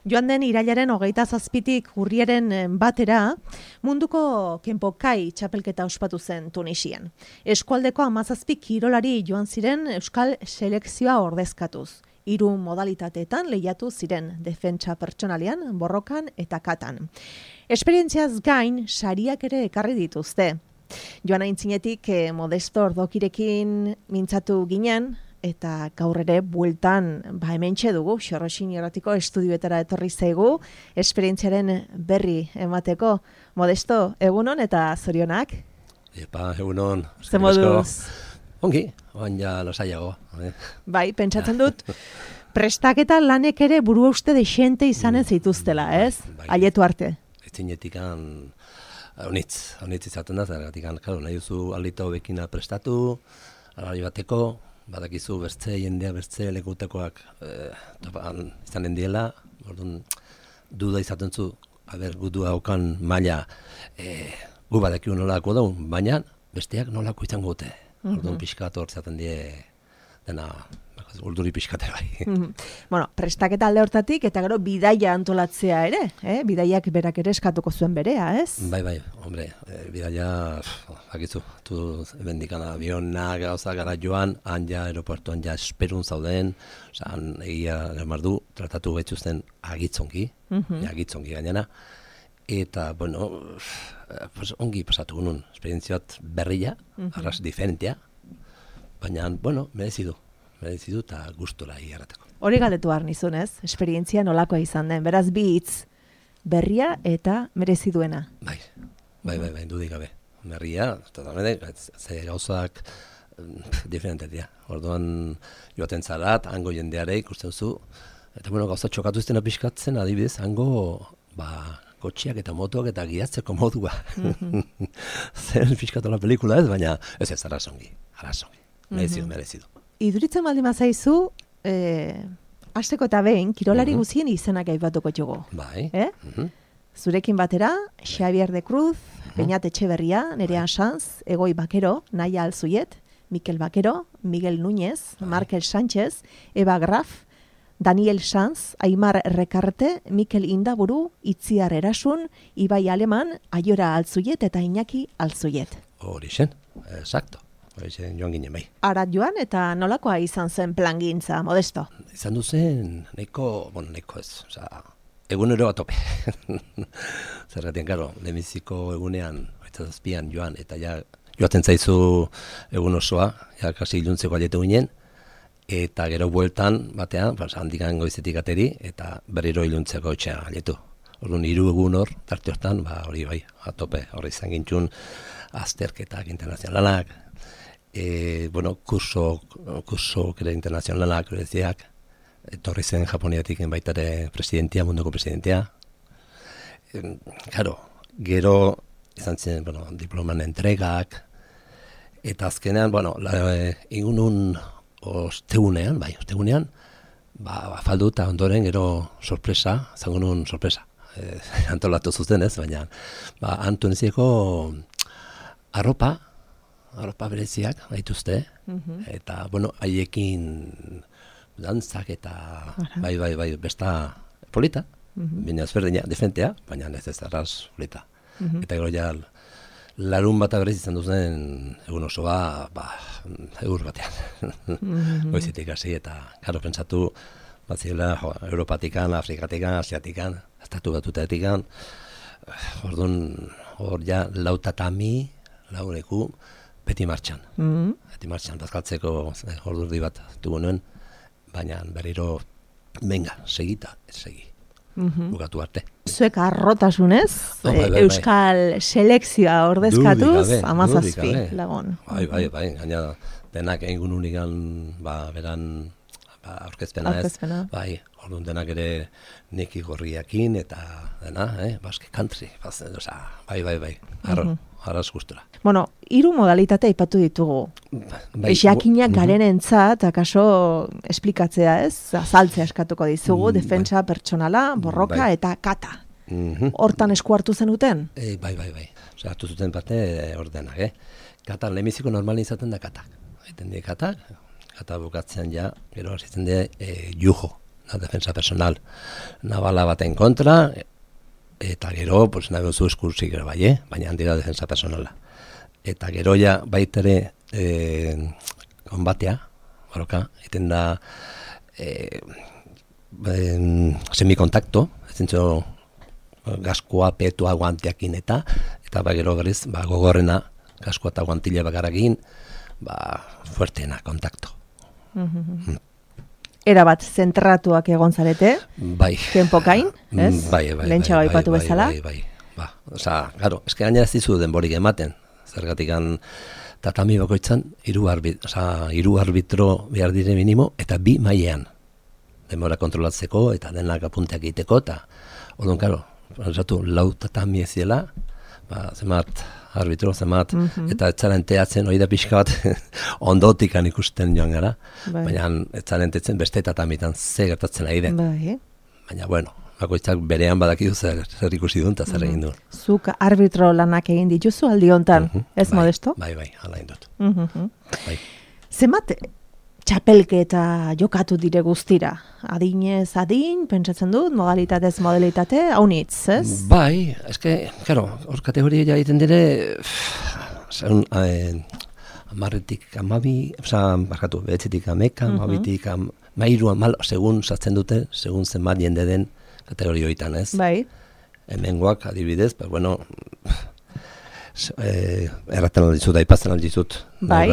Joan den irailaren 27tik urriaren batera, munduko kenpokai txapelketa ospatu zen Tunisian. Eskualdeko 17 kirolari joan ziren euskal selekzioa ordezkatuz. 3 modalitateetan lehiatu ziren, defentsa pertsonalian, borrokan eta katan. Esperientziaz gain, sariak ere ekarri dituzte. Joan aintzinetik Modesto Ordokirekin mintzatu ginen, eta gaur ere bueltan hementxe dugu, Xorroxin Irratiko estudioetara etorri zaigu, esperientziaren berri emateko. Modesto, egunon eta zorionak? Epa, egunon. Zer moduz? Ongi, oan ja lasaiago. Bai, pentsatzen dut, prestaketa lanek ere burua uste dexente izanen zituztela, ez? Bai. Aietu arte. Etzinetikan honitz izaten da, zergatikan, nahi duzu alita hobekina prestatu, alari bateko, badakizu bertze jendea, bertze lekutekoak izanen diela, orduan duda izaten zu, gudu haukan maila gu badakiu nolako daun, baina besteak nolako izango dute. Orduan pixkat hor zaten die dena urduri pixkate bai. Bueno, prestaketa alde hortatik eta gero bidaia antolatzea ere, bidaiak berak ere eskatuko zuen berea, ez? Bai, hombre, bidaia, bakizu, tu bendikana avionak gauza gara joan, han ja aeroportuan ja esperun zauden, han egia mardu, tratatu betzuzten agitzongi gainera, eta, bueno, ongi pasatu gunun, esperientziat berria, arras diferentea, baina, bueno, merezidu eta gustura igarrateko. Hori galdetu behar nizun, ez? Esperientzia nolakoa izan den, beraz bi hitz berria eta merezi duena. Bai, dudik gabe. Berria, totalmente, ze gauzak diferente dira. Orduan joaten zarat, hango jendeare ikusten zu, eta bueno, gauza txokatu iztena pixkatzen, adibidez, hango, kotxiak eta motoak eta gidatzeko modua. Zer pixkatu la pelikula ez, baina ez arrazongi. Merezidu. Iduritzen baldin bazaizu, hasteko eta behin, kirolari guzien izenak aipatuko txugu. Bai. Zurekin batera, Xavier de Cruz, Beñat Etxeberria, Nerea Sanz, Egoi Bakero, Naia Alzuiet, Mikel Bakero, Miguel Núñez, Markel Sánchez, Eva Graf, Daniel Sanz, Aimar Rekarte, Mikel Indaburu, Itziar Erasun, Ibai Aleman, Aiora Alzuiet eta Iñaki Alzuiet. Hori zen, exacto. Joan ginen bai. Arat joan eta nolakoa izan zen plangintza, Modesto? Izan duzen, nahiko ez, egunero bat tope. Zergatik, karo, lehenbiziko egunean, 27an joan, eta ja joaten zaizu egun osoa, ja kasi iluntzeko aletu ginen, eta gero bueltan batean, handikan goizetik ateri, eta berriro iluntzeko etxea aletu. Orduan 3 egun hor, tarte hortan, hori bai, atope, hori izan gintxun, azterketak internazionalak, kurso kere internazionalak, bereziak, etorri zen Japoniatik baitare presidentia, munduko presidentia. Gero izan zen, diploman entregak, eta azkenean, egunun ostegunean, faldu eta ondoren gero sorpresa, zango nun sorpresa, antolatu zuzen ez, baina Antunezieko arropa bereziak gaituzte, eta, haiekin dantzak eta bai, besta polita, baina ezberdina, defentea, baina ez arraz polita. Eta gero ja, larun bat berez izan duzen egun osoa, egur batean. Goizetik hasi eta, gero pentsatu, batzila, Europatikan, Afrikatikan, Asiatikan, estatu batutatikan, orduan, hor ja, launeku, beti martxan. Beti martxan, bazkaltzeko ordurdi bat dugu nuen, baina berriro, venga, segi. Bukatu arte. Zuek arrotasunez, Euskal selekzioa ordezkatuz, 17 lagun. Bai, gaina denak egun unigan, beran, aurkezpena ez. Bai, orduan denak ere neki gorriakin eta dena, Basque Country. Bai, arraz gustura. 3 modalitate aipatu ditugu. Jakinak garenentzat, akaso esplikatzea ez, azaltzea eskatuko dizugu, defentsa pertsonala, borroka eta kata. Hortan esku hartu zenuten? Bai. Hartu zuten parte ordenak, Katan, lehenbiziko normalin izaten da katak. Kata bukatzean ja, gero hasitzen da jujo, da defensa personal nabala baten kontra, eta gero, pues, nahi duzu eskursik ere bai, baina handira defensa personala. Eta gero ja baitere konbatea, baroka, eten da semikontakto, ezintzo gaskoa, petua, guanteakin eta gero berriz, gogorrena, gaskoa eta guantile bakarakin, fuerteena kontakto. Era bat zentratuak egon zarete? Bai. Kenpokain, ez? Bai. Lentsa baipatu bezala? Bai. Osa, claro, eske gainera ez dizu denborik ematen. Zergatikan tatami bakoitzan 3 arbitro behar dire minimo eta 2 mailean. Denbora kontrolatzeko eta denak apunteak egiteko eta orduan, claro, pensatu 4 tatami ez dela, zemat arbitro, zemat, eta etzaren teatzen, hori da pixka bat ondotikan ikusten joan gara, baina etzaren teatzen beste tatamitan ze gertatzen ari den. Baina, bueno, bakoitzak berean badakidu zer ikusi duen eta zer egin duen. Zuk arbitro lanak egin dituzu aldi hontan, ez Modesto? Bai, ala egin dut. Zemat txapelketa jokatu dire guztira? Adinez adin, pentsatzen dut, modalitatez modalitate, haunitz, ez? Bai, eske, claro, hor kategoria egiten dire, segun, 10-tik 12, barkatu, 9-tik 11, 12-tik 13, segun sartzen dute, segun zenbat jende den kategoria horietan, ez? Bai. Hemengoak adibidez, pues bueno, erraten aldizut, aipazten aldizut. Bai,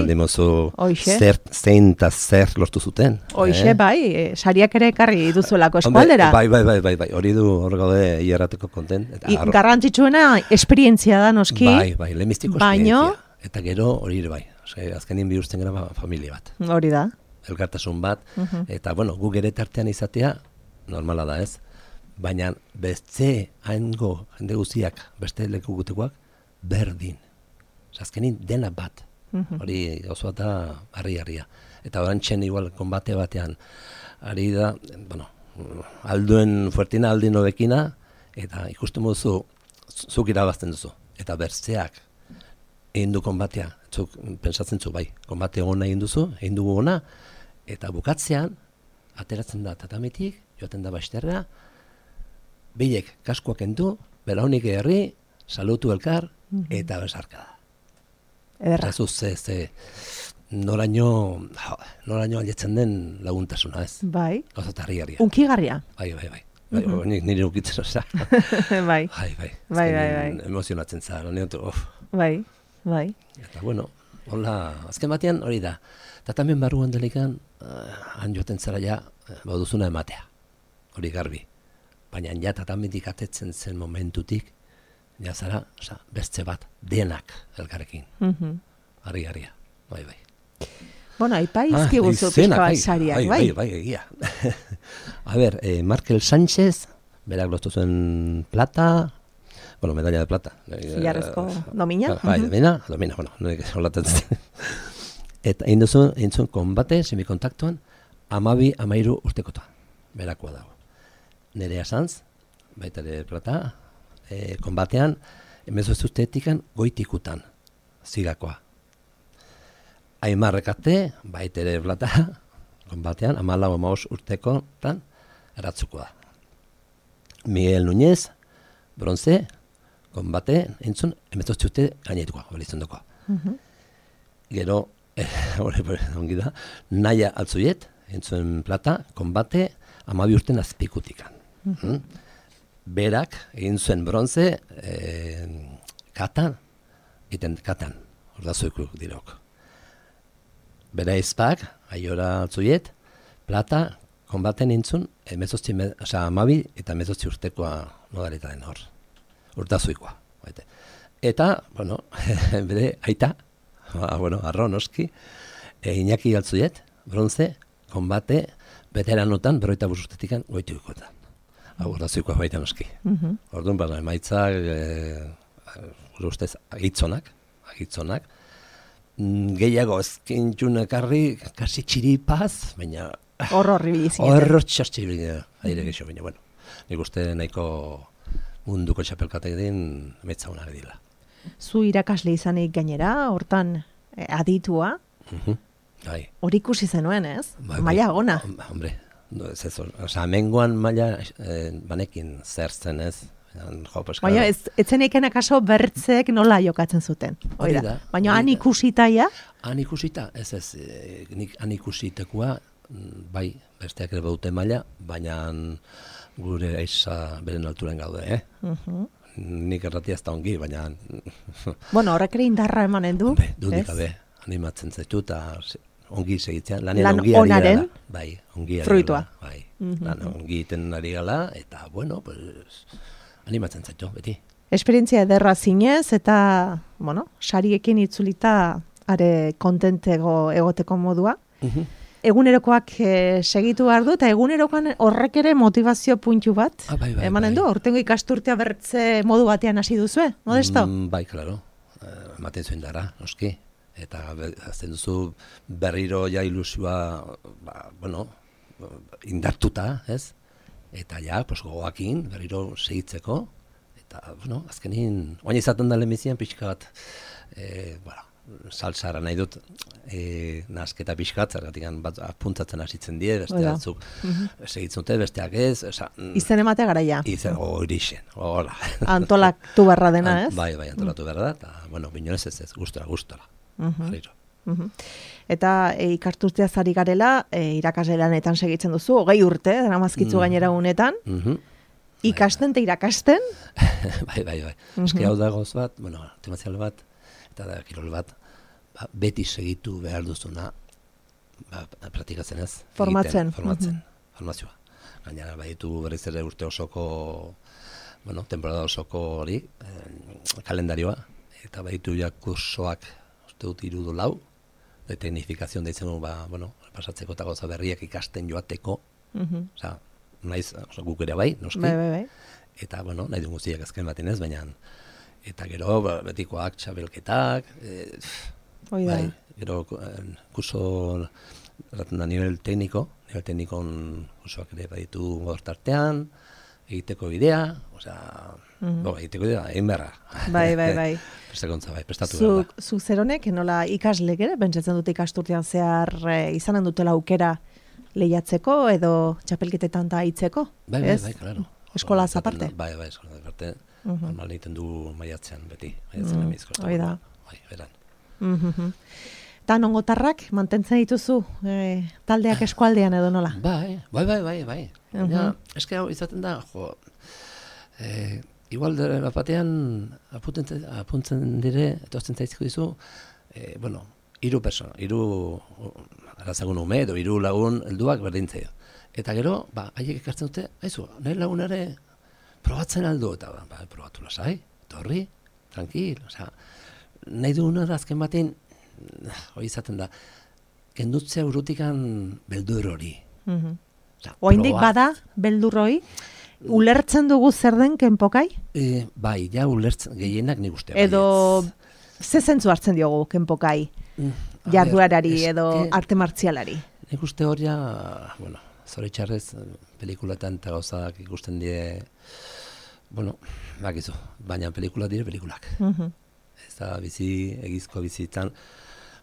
Zein eta zer lortu zuten. Hoixe, bai, sariak ere ekarri duzuelako eskualdera. Bai, hori du hor gaude hierrateko konten. Garrantzitsuena esperientzia da, noski. Bai, lehenbiztiko esperientzia. Eta gero hori ere bai, azkenin bihurtzen gara familia bat. Hori da. Elkartasun bat, eta bueno, gu gere tartean izatea, normala da ez, baina beste haingo jende guztiak, beste leku gutekoak, berdin. Azkenin dena bat. Hori gauza da harri-harria. Eta orantxen igual konbate batean ari da, bueno, alduen fuertina, aldin hobekina, eta ikusten duzu, zuk irabazten duzu. Eta bertzeak egin du konbatea, zuk pensatzen zu bai, konbate ona egin duzu, egin dugu ona, eta bukatzean, ateratzen da tatamitik, joaten da basterra, bilek kaskoak endu, belaunik herri, salutu elkar, eta besarka da. Ederra. Ze noraino aletzen den laguntasuna, ez? Bai. Gauza harri-harria. Unkigarria. Bai. Nire ukitzen, oza. Bai. Bai. Emozionatzen zara, Bai. Eta bueno, hola, azken batean hori da. Eta tamen barruan delikan, han joaten zara ja, bauduzuna ematea. Hori garbi. Baina ja tatamendik atetzen zen momentutik, ja zara, beste bat, denak elkarrekin. Harri-harria, bai. Bueno, aipaizki guzu pixka bat sariak, bai? Bai, egia. A ber, Markel Sánchez, berak lortu zuen plata, bueno, medalla de plata. Zilarrezko domina? Bai, domina, bueno, norik holatzen zen. Eta egin zuen konbate, semikontaktuan, 12-13 urtekotan, berakoa dago. Nerea Sanz, baita ere plata, konbatean, emezoztu ustetikan goitikutan, zigakoa. Aimarrekate, baita ere plata, konbatean, 14-15 urtekotan, eratzukoa. Miguel Núñez, bronze, konbate, entzun, emezoztu uste gainetukoa, balitzen dukoa. Gero, ongi da, Naia Altzuiet, entzun plata, konbate, 12 urten azpikutikan. Berak, egin zuen bronze, katan, ordazoiku dirok. Bera izpak, Aiora Altzuiet, plata, konbaten intzun, 12 eta 12 urtekoa modalita den hor. Ordazoikoa. Eta, bueno, bere aita, arro noski, Iñaki Altzuiet, bronze, konbate, veteranotan, 45 urtetikan goitikotan. Ordazoikoa baita noski. Orduan, emaitzak, gure ustez, agitzonak, gehiago ezkintxun ekarri, kasi txiripaz, baina... Horri bilizien. Horro txartxibili, aire gexo, baina, bueno, nik uste nahiko munduko txapelkatek din, metzauna dila. Zu irakasle izanik gainera, hortan aditua, Bai. hori ikusi zenuen, ez? Maila gona. Hombre, Hemengoan maila banekin zer zen ez. Baina etzeneken akaso bertzek nola jokatzen zuten. Baina han ikusitaia? Han ikusita, ez, nik han ikusitekoa, bai, besteak ere baute maila, baina gure aiza beren alturen gaude, Nik erratia ez da ongi, baina... Bueno, horrek ere indarra emanen du. Dudik gabe, animatzen zaitu, eta ongi segitzean, lan onaren fruitua. Bai, lan ongi iten ari gala, eta, bueno, pues, animatzen zaitu, beti. Esperientzia ederra zinez, eta, bueno, sariekin itzulita are kontentego egoteko modua. Egunerokoak segitu behar du, eta egunerokoan horrek ere motivazio puntu bat emanen du. Hortengo ikasturtea bertze modu batean hasi duzue, Modesto? Bai, klaro, ematen zuen dara, noski. Eta azten duzu berriro ja ilusioa, indartuta, ez? Eta ja, gogoakin, berriro segitzeko. Eta, azkenin, oain izaten da lehenbizian pixka bat, salsara nahi dut, nasketa pixkat, zergatik apuntatzen hasitzen die, beste batzuk segitzen dute, besteak ez. Izen ematea garaia. Horixen, hola. Antolatu berra dena, ez? Bai, antolatu berra da, eta, binonez ez, gustora. Eta ikasturtea zari garela, irakasle lanetan segitzen duzu, 20 urte, daramazkitzu gainera unetan, ikasten eta irakasten? Bai. Eski hau da goz bat, temazial bat, eta da kirol bat, beti segitu behar duzuna, praktikatzen ez? Formatzen. Formazioa. Gainera, baditu berriz ere urte osoko, temporada osoko hori, kalendarioa, eta baditu ja kursoak, uste dut 3 lau, de teknifikazion deitzen du, pasatzeko eta goza berriak ikasten joateko, naiz, guk ere bai, noski, eta, nahi du guztiak azken baten ez, baina, eta gero, betikoak, txabelketak, gero, kurso, erraten da, nivel teknikon kursoak ere baditu gortartean, egiteko bidea, egiteko bidea, egin beharra. Bai. Prestakuntza, prestatu behar da. Zu zeronek, nola ikaslek ere, pentsatzen dute ikasturtean zehar izanen dutela aukera lehiatzeko edo txapelketetan da hitzeko? Bai, klaro. Eskolaz aparte? Bai, eskolaz aparte. Normal egiten du maiatzean beti. Maiatzean emizko. Hoi da. Bai, beran. Eta nongotarrak mantentzen dituzu taldeak eskualdean edo nola? Bai. Eske hau izaten da, igual batean apuntzen dire, etortzen zaizko dizu, 3 persona, 3 arazagun ume edo 3 lagun helduak berdintzea. Eta gero, haiek ekartzen dute, nahi lagunare probatzen aldo, eta probatu lasai, torri, tranquil, nahi duguna da azken batean, hori izaten da, kendutzea urrutikan beldur hori. Oindik bada beldur hori? Ulertzen dugu zer den kenpokai? Bai, ja ulertzen, gehienak nik uste. Edo, ze zentzu hartzen diogu kenpokai? Jarduarari edo arte martzialari? Nik uste hori, zoritxarrez, pelikulatan eta gauzak ikusten die, bakizu, baina pelikulak dire pelikulak. Ez da egizko bizitzan,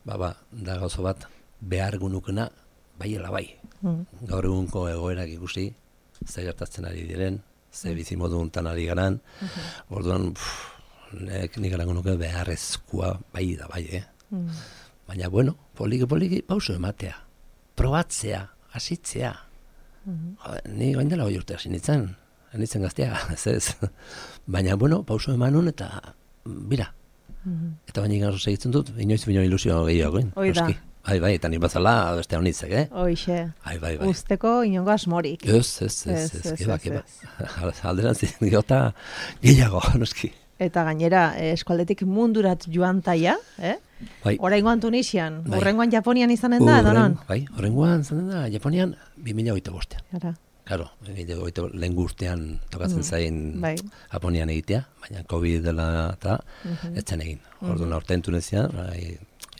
da gauzo bat, behar gunukena, baiela bai. Gaur egunko egoerak ikusi, ze gertatzen ari diren, ze bizimodu untan ari garan, orduan, nik erango nuke beharrezkoa bai da bai, Baina, poliki, pauso ematea, probatzea, hasitzea. Ni gain dela 2 urte hasi nintzen gaztea, ez. Baina, pauso emanun eta bira. Eta baina gaur segitzen dut, inoiz ilusio gehiagoen. Oida. Bai, eta nik bazala beste honitzek, Hoixe. Bai. Usteko inongo asmorik. Ez, keba. Alderan gota gehiago, noski. Eta gainera, eskualdetik mundurat joan taia, Bai. Oraingoan Tunisian, horrengoan Japonian izanen da, edo non? Bai, horrengoan izanen da, Japonian 2025. Claro, lehen urtean tokatzen zain Japonian egitea, baina COVID dela eta etzen egin. Orduan aurten Tunisian,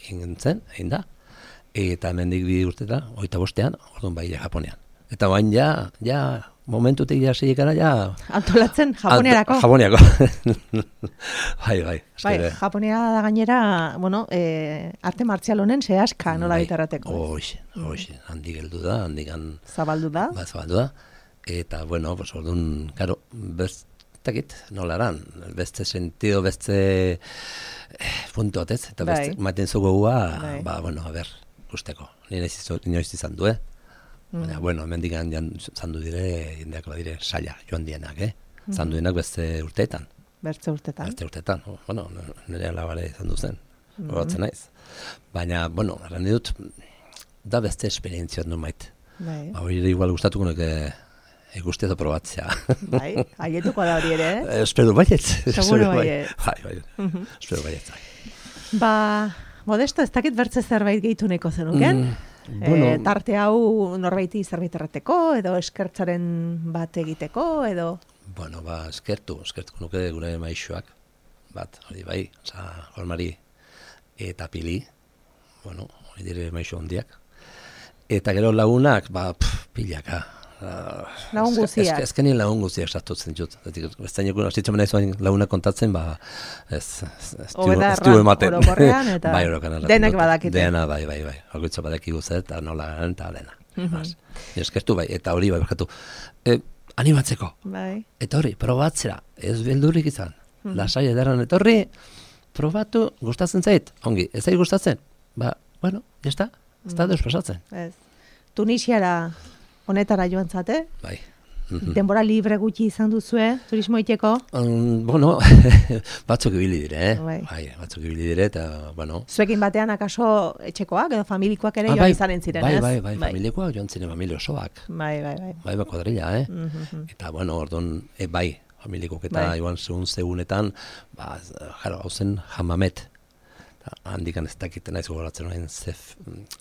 egin da. Eta hemendik 2 urteta, 25ean, orduan bai Japonian. Eta bain ja momentutik jasiek gara, ja... Antolatzen, Japoniarako. Japoniako. Bai. Bai, Japonia da gainera, bueno, arte martzial honen zehaska nola bitarrateko. Hoxe, handik heldu da, handikan... Zabaldu da. Ba, zabaldu da. Eta, bueno, pues, orduan, karo, bestakit, nolaran, beste sentido, beste puntu batez, eta beste, maten zugu ba, bueno, a ber, gusteko. Inoiz izan du, Baina, bueno, hemendik zandu dire, jendeak badire saia joan dienak, Zandu dienak beste urteetan. Beste urteetan. Bueno, nire alabare zandu zen, horatzen naiz. Baina, bueno, erran dut, da beste esperientzia du mait. Ba, hori igual gustatuko nuke guztia da probatzea. Bai, aietuko da hori ere, Espero baietz. Seguro baietz. Bai, espero baietz. Ba, Modesto, ez dakit bertze zerbait gehitu neko zenuken? Bueno, tarte hau norbaiti zerbait errateko, edo eskertzaren bat egiteko, edo... Bueno, ba, eskertu nuke gure maixoak, bat, hori bai, Jormari eta Pili, bueno, hori dire maixo hondiak. Eta gero lagunak, ba, pilaka. Lagun guziak. Ezkenien lagun guziak sartutzen dut. Bestaineko asitzen nahi zuen lagunak kontatzen, ba, ez du ematen. Orokorrean, eta bai, denek badakite. Dena, bai. Horretza badakigu zer, eta nola garen, eta dena. Eskertu bai, eta hori bai, berkatu. Animatzeko. Bai. Eta hori, probatzera. Ez beldurrik izan. Lasai ederran etorri, probatu, gustatzen zait. Ongi, ez zait gustatzen? Ba, bueno, jazta, ez da deus pasatzen. Ez. Tunisiara honetara joan zate? Bai. Denbora libre gutxi izan duzue, turismo iteko? Bueno, batzuk ibili dire, Bai, batzuk ibili dire, eta, bueno... Zuekin batean akaso etxekoak edo familikoak ere joan izanen ziren, ez? Bai, familikoak joan ziren, familio osoak. Bai. Bai, kuadrilla, Eta, bueno, orduan, bai, familikoak eta joan segunetan, ba, jaro, hau zen Hamamet. Handikan ez dakiten naiz gogoratzen horrein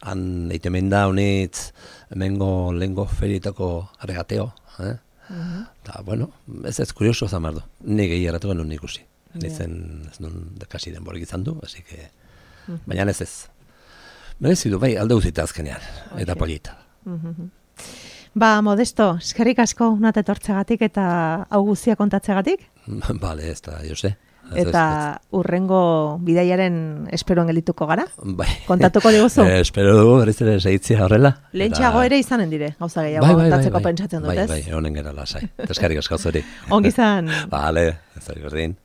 han eitemen da honitz hemengo lengo ferietako regateo, eta, bueno, ez kurioso zamardo, nire erratu genuen ikusi. Nizen, ez nun kasi denborik izan du, así que, baina ez. Merezidu, bai, alde guzita azkenean, eta polita. Ba, Modesto, eskerrik asko unat etortzegatik eta hau guztia kontatzegatik? Bale, ez da, Jose. Eta urrengo bidaiaren esperoen geldituko gara? Bai. Kontatuko diguzu? Espero dugu, berriz ere segitzia horrela. Lehentxeago ere izanen dire, gauza gehiago kontatzeko pentsatzen dut, ez? Bai, honen gara lasai. Eskerrik asko zuri. Ongi izan. Bale, ez da berdin.